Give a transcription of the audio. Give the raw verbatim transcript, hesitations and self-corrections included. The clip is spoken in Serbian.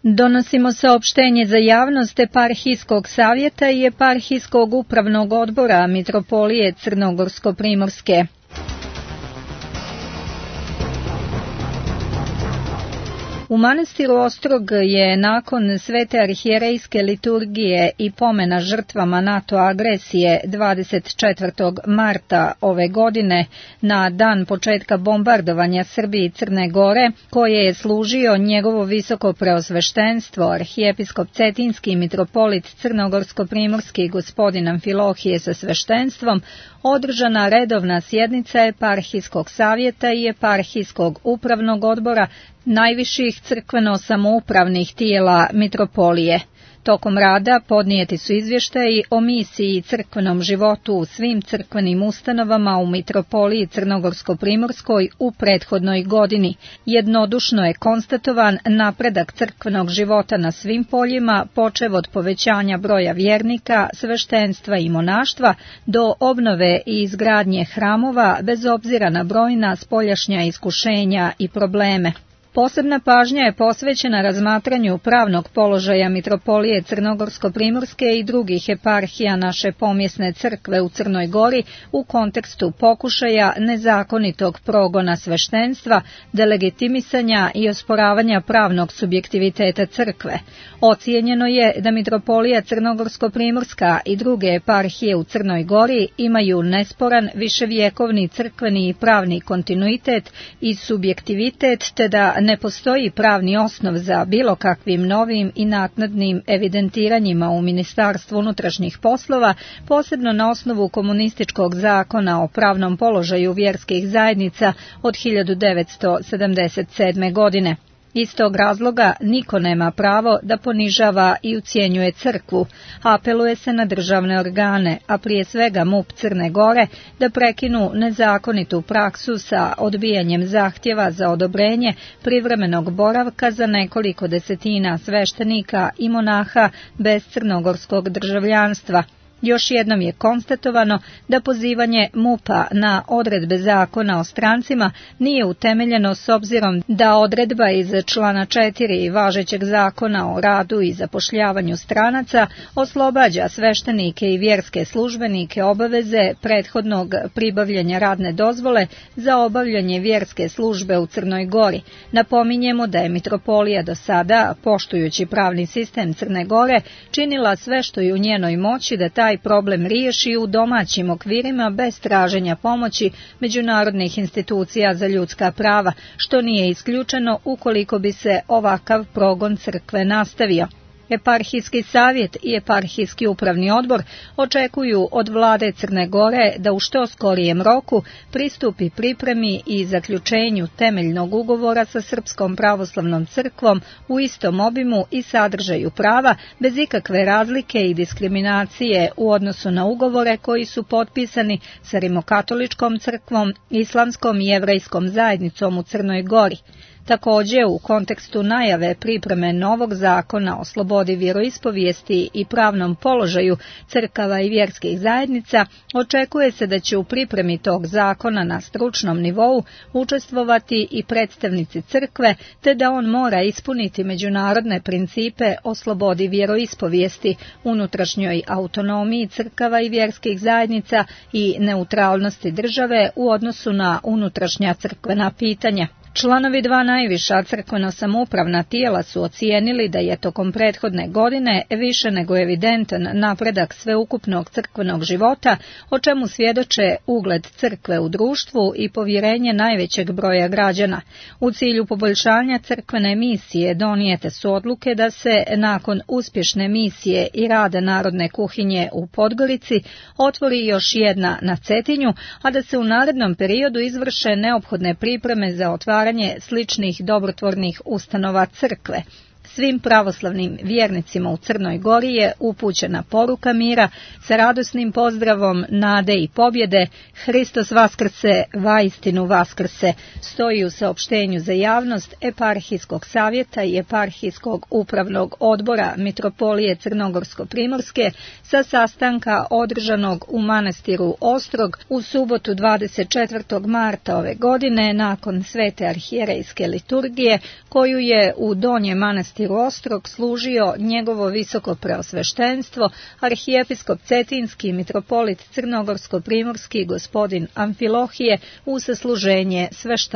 Donosimo saopštenje za javnost Eparhijskog savjeta i Eparhijskog upravnog odbora Mitropolije Crnogorsko-Primorske. U manastiru Ostrog je nakon svete arhijerejske liturgije i pomena žrtvama NATO agresije dvadeset četvrtog marta ove godine, na dan početka bombardovanja Srbije i Crne Gore, koje je služio njegovo visoko preosveštenstvo, arhijepiskop Cetinski mitropolit Crnogorsko-Primorski gospodin Amfilohije sa sveštenstvom, održana redovna sjednica Eparhijskog savjeta i Eparhijskog upravnog odbora najviših crkveno-samoupravnih tijela mitropolije. Tokom rada podnijeti su izvještaji o misiji i crkvenom životu u svim crkvenim ustanovama u mitropoliji Crnogorsko-Primorskoj u prethodnoj godini. Jednodušno je konstatovan napredak crkvenog života na svim poljima, počev od povećanja broja vjernika, sveštenstva i monaštva, do obnove i izgradnje hramova, bez obzira na brojna spoljašnja iskušenja i probleme. Posebna pažnja je posvećena razmatranju pravnog položaja mitropolije Crnogorsko-Primorske i drugih eparhija naše pomjesne crkve u Crnoj Gori u kontekstu pokušaja nezakonitog progona sveštenstva, delegitimisanja i osporavanja pravnog subjektiviteta crkve. Ocijenjeno je da mitropolija Crnogorsko-Primorska i druge eparhije u Crnoj Gori imaju nesporan viševjekovni crkveni i pravni kontinuitet i subjektivitet, te da ne postoji pravni osnov za bilo kakvim novim i naknadnim evidentiranjima u Ministarstvu unutrašnjih poslova, posebno na osnovu komunističkog zakona o pravnom položaju vjerskih zajednica od hiljadu devetsto sedamdeset sedme. godine. Iz tog razloga niko nema pravo da ponižava i ucijenjuje crkvu. Apeluje se na državne organe, a prije svega MUP Crne Gore, da prekinu nezakonitu praksu sa odbijanjem zahtjeva za odobrenje privremenog boravka za nekoliko desetina sveštenika i monaha bez crnogorskog državljanstva. Još jednom je konstatovano da pozivanje MUP-a na odredbe zakona o strancima nije utemeljeno s obzirom da odredba iz člana četiri važećeg zakona o radu i zapošljavanju stranaca oslobađa sveštenike i vjerske službenike obaveze prethodnog pribavljanja radne dozvole za obavljanje vjerske službe u Crnoj Gori. Napominjemo da je mitropolija do sada, poštujući pravni sistem Crne Gore, činila sve što je u njenoj moći da taj problem riješi u domaćim okvirima bez traženja pomoći međunarodnih institucija za ljudska prava, što nije isključeno ukoliko bi se ovakav progon crkve nastavio. Eparhijski savjet i Eparhijski upravni odbor očekuju od vlade Crne Gore da u što skorijem roku pristupi pripremi i zaključenju temeljnog ugovora sa Srpskom pravoslavnom crkvom u istom obimu i sadržaju prava, bez ikakve razlike i diskriminacije u odnosu na ugovore koji su potpisani sa Rimokatoličkom crkvom, Islamskom i Jevrejskom zajednicom u Crnoj Gori. Također, u kontekstu najave pripreme novog zakona o slobodi vjeroispovijesti i pravnom položaju crkava i vjerskih zajednica, očekuje se da će u pripremi tog zakona na stručnom nivou učestvovati i predstavnici crkve, te da on mora ispuniti međunarodne principe o slobodi vjeroispovijesti, unutrašnjoj autonomiji crkava i vjerskih zajednica i neutralnosti države u odnosu na unutrašnja crkvena pitanja. Članovi dva najviša crkveno-samoupravna tijela su ocijenili da je tokom prethodne godine više nego evidentan napredak sveukupnog crkvenog života, o čemu svjedoče ugled crkve u društvu i povjerenje najvećeg broja građana. U cilju poboljšanja crkvene misije donijete su odluke da se nakon uspješne misije i rada Narodne kuhinje u Podgorici otvori još jedna na Cetinju, a da se u narednom periodu izvrše neophodne pripreme za otvaranje sličnih dobrotvornih ustanova crkve. Svim pravoslavnim vjernicima u Crnoj Gori je upućena poruka mira sa radosnim pozdravom nade i pobjede. Hristos vaskrse, vaistinu vaskrse, stoji u saopštenju za javnost Eparhijskog savjeta i Eparhijskog upravnog odbora Mitropolije Crnogorsko-Primorske sa sastanka održanog u manastiru Ostrog u subotu dvadeset četvrtog marta ove godine nakon svete arhijerejske liturgije, koju je u donjem manastiru manastiru Ostrog služio njegovo visoko preosveštenstvo, arhijepiskop Cetinski i mitropolit Crnogorsko-primorski gospodin Amfilohije u sasluženje sveštenstva.